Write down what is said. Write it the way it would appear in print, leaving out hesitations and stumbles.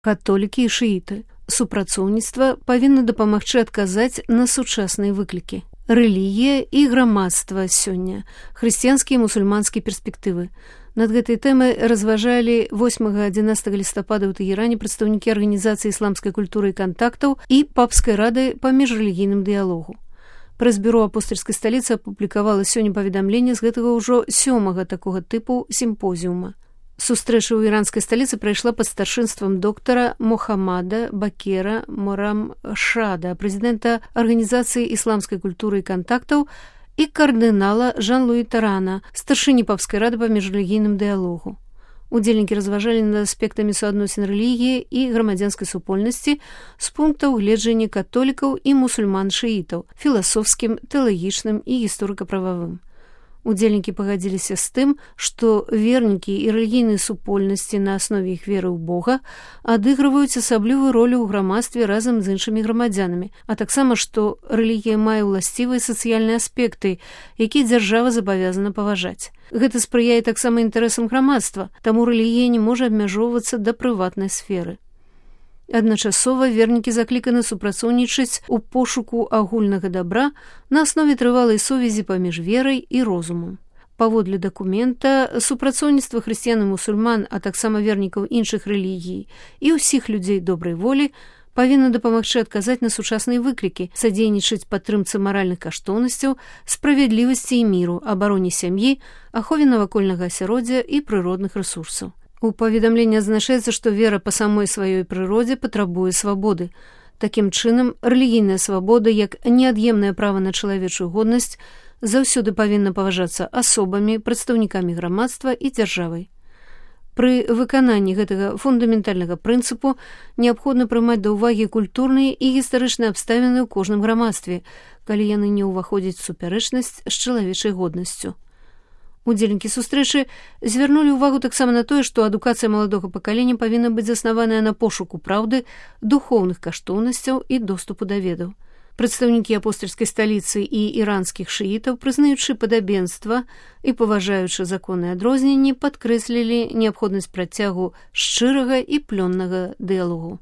Католікі і шыіты. Супрацоўніцтва павінна дапамагчы адказаць на сучасныя выклікі. Рэлігія і грамадства сёння. Хрысціянскія і мусульманскія перспектывы. Над гэтай тэмай разважалі 8-11 лістапада ў Тэгеране прадстаўнікі арганізацыі ісламскай культуры і кантактаў і папскай рады па міжрэлігійным дыялогу. Прэс-бюро апостальскай сталіцы апублікавала сёння паведамленне з гэтага ўжо 7-га такога тыпу сімпозіума. Сустрэча ў іранскай сталіцы прайшла пад старшынствам доктара Мохаммада Бакера Морамшада, прэзідэнта арганізацыі ісламскай культуры і кантактаў, і кардынала Жан-Луі Тарана, старшыні папскай рады па міжрэлігійным дыялогу. Удзельнікі разважалі над аспектамі суадносін рэлігіі і грамадзянскай супольнасці з пунктаў гледжання католікаў і мусульман-шыітаў, філасофскім, тэалагічным і гісторыка-прававым. Удзельнікі пагадзіліся з тым, што вернікі і рэлігійныя супольнасці на аснове іх веры ў Бога адыгрываюць асаблівую ролю ў грамадстве разам з іншымі грамадзянамі, а таксама, што рэлігія мае ўласцівыя сацыяльныя аспекты, якія дзяржава забавязана паважаць. Гэта спрыяе таксама інтарэсам грамадства, таму рэлігія не можа абмяжоўвацца да прыватнай сферы. Адначасова вернікі закліканы супрацоўнічаць у пошуку агульнага дабра на аснове трывалай сувязі паміж верай і розумам. Паводле дакумента, супрацоўніцтва хрысціян і мусульман, а таксама вернікаў іншых рэлігій і ўсіх людзей добрай волі павінна дапамагчы адказаць на сучасныя выклікі, садзейнічаць падтрымцы маральных каштоўнасцяў, справядлівасці і міру, абароне сям'і, ахове навакольнага асяроддзя і прыродных рэсурсаў. У паведамленні адзначаецца, што вера па самой сваёй прыродзе патрабуе свабоды. Такім чынам, рэлігійная свабода, як неад'емнае права на чалавечую годнасць, заўсёды павінна паважацца асобамі, прадстаўнікамі грамадства і дзяржавай. Пры выкананні гэтага фундаментальнага прынцыпу неабходна прымаць да ўвагі культурныя і гістарычныя абставіны ў кожным грамадстве, калі яны не ўваходзяць у супярэчнасць з чалавечай годнасцю. Удзельнікі сустрэчы звярнулі ўвагу таксама на тое, што адукацыя маладога пакалення павінна быць заснаваная на пошуку праўды, духоўных каштоўнасцяў і доступу да ведаў. Прадстаўнікі апостальскай сталіцы і іранскіх шыітаў, прызнаючы падабенства і паважаючы законныя адрозненні, падкрэслілі неабходнасць працягу шчырага і плённага дыялогу.